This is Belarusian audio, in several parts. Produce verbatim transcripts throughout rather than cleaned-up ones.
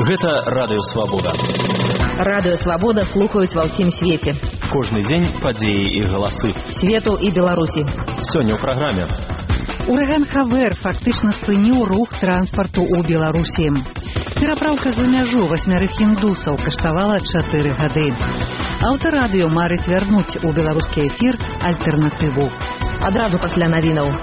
Гэта Радыё Свабода. Радыё Свабода слухаюць ва ўсім свеце. Кожны дзень падзеі і галасы. Свету і Беларусі. Сёння ў праграме. Ураган Хавер фактычна спыніў рух транспарту ў Беларусі. Перапраўка за мяжу васьмярых індусаў каштавала чатыры гады. Аўтарадыё марыць вярнуць у беларускі эфір альтэрнатыву. Адразу пасля навінаў.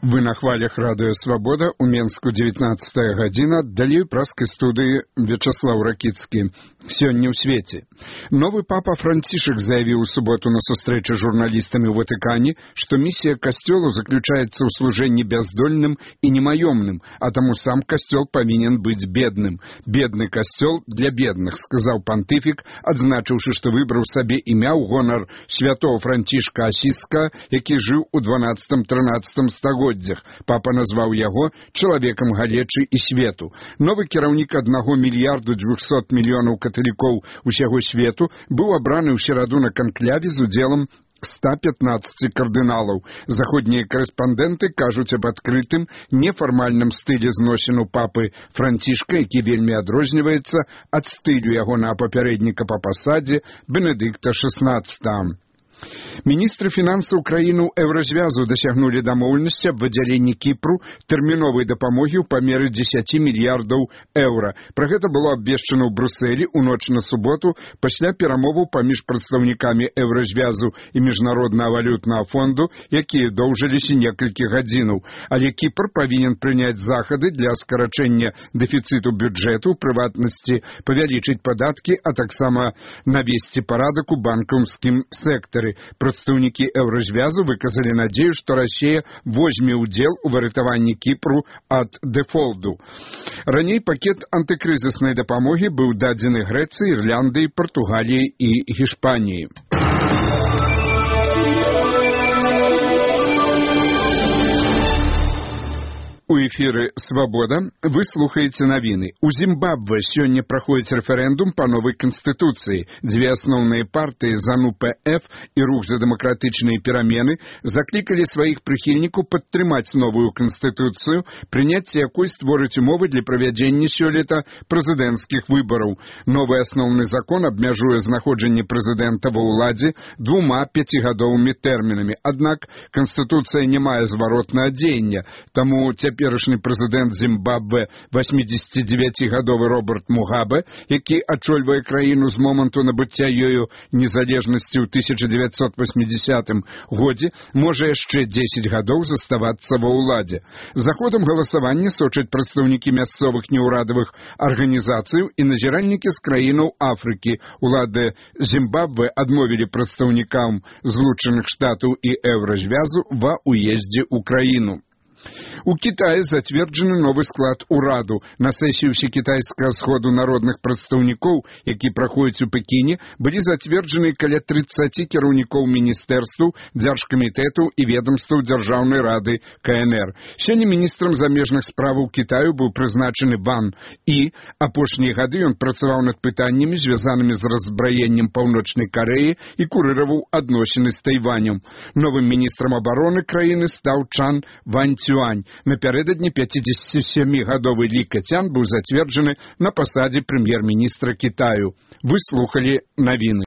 Вы на хвалях Радыё Свабода, у Менску дзевятнаццатая гадзіна, далей праскай студыі Вячаслаў Ракіцкі. Сёння ў свеце. Новы папа Францішак заявіў у суботу на сустрэчы журналістамі ў Ватыкане, што місія касцёлу заключаецца ў служэнні бяздольным і немаёмным, а таму сам касцёл павінен быць бедным. Бедны касцёл для бедных, сказаў пантыфік, адзначыўшы, што выбраў сабе імя ў гонар святого Францішка Асіска, які жыў у дванаццатым-трынаццатым стагоддзях. Папа назваў яго чалавекам галечы і свету. Новы кіраўнік аднаго мільярду дзвюхсот мільёнаў каталікоў усяго свету быў абраны ў сераду на канкляве з удзелам ста пятнаццаці кардыналаў. Заходнія корэспандэнты кажуць аб адкрытым, нефармальным стылі зносіну папы Францішка, які вельмі адрозніваецца ад стылю ягонага папярэдніка па пасадзе Бенедыкта шэснаццатага. Міністры фінансаў краіну Еўразвязу дасягнулі дамоўленасці аб выдзяленні Кіпру тэрміновай дапамогі ў памеры дзесяці мільярдаў еўра. Пра гэта было абвешчана ў Брусэлі ў ноч на суботу пасля перамоваў паміж прадстаўнікамі Еўразвязу і Міжнароднага валютнага фонду, якія доўжыліся некалькі гадзінаў. Але Кіпр павінен прыняць захады для скарачэння дэфіцыту бюджэту, у прыватнасці павялічыць падаткі, а таксама навесці парадак у банкаўскім сектары. Прадстаўнікі Еўразвязу выказалі надзею, што Расія возьме ўдзел у выратаванні Кіпру ад дэфолду. Раней пакет антыкрызіснай дапамогі быў дадзены Грэцыі, Ірландыі, Партугаліі і Гішпаніі. У эфіры «Свабода» вы слухаеце навіны. У Зімбабве сёння праходзіць рэферэндум па новай канстытуцыі. Дзве асноўныя партыі ЗАНУ-ПФ і Рух за дэмакратычныя перамены заклікалі сваіх прыхільнікаў падтрымаць новую канстытуцыю, прыняцце якой створыць умовы для правядзення сёлета прэзідэнцкіх выбараў. Новы асноўны закон абмяжуе знаходжанне прэзідэнта ва ўладзе двума пяцігадовымі тэрмінамі. Аднак канстытуцыя не мае зваротнага дзеяння, таму цяпер Цяперашні прэзідэнт Зімбабве васьмідзесяцідзевяцігадовы Роберт Мугабе, які ачольвае краіну з моманту набыцця ёю незалежнасці ў тысяча дзевяцьсот васьмідзесятым годзе, можа яшчэ дзесяць гадоў заставацца ва ўладзе. За ходам галасавання сочаць прадстаўнікі мясцовых неўрадавых арганізацыяў і назіральнікі з краінаў Афрыкі. Улады Зімбабве адмовілі прадстаўнікам Злучаных Штатаў і Еўразвязу ва ўездзе ў краіну. У Кітаі зацверджаны новы склад ураду. На сесіі ўсекітайскага сходу народных прадстаўнікоў, які праходзіць у Пекіне, былі зацверджаны каля трыццаці кіраўнікоў міністэрстваў, дзяржкамітэтаў і ведамстваў Дзяржаўнай рады КНР. Сёння міністрам замежных справаў Кітаю быў прызначаны Ван І. Апошнія гады ён працаваў над пытаннямі, звязанымі з разбраеннем Паўночнай Карэі і курыраваў адносіны з Тайванем. Новым міністрам абароны краіны стаў Чан Вань-Цюань. Напярэдадні пяцідзесяцісямігадовы Лі Кэцян быў зацверджаны на пасадзе прэм'ер-міністра Кітаю. Вы слухалі навіны.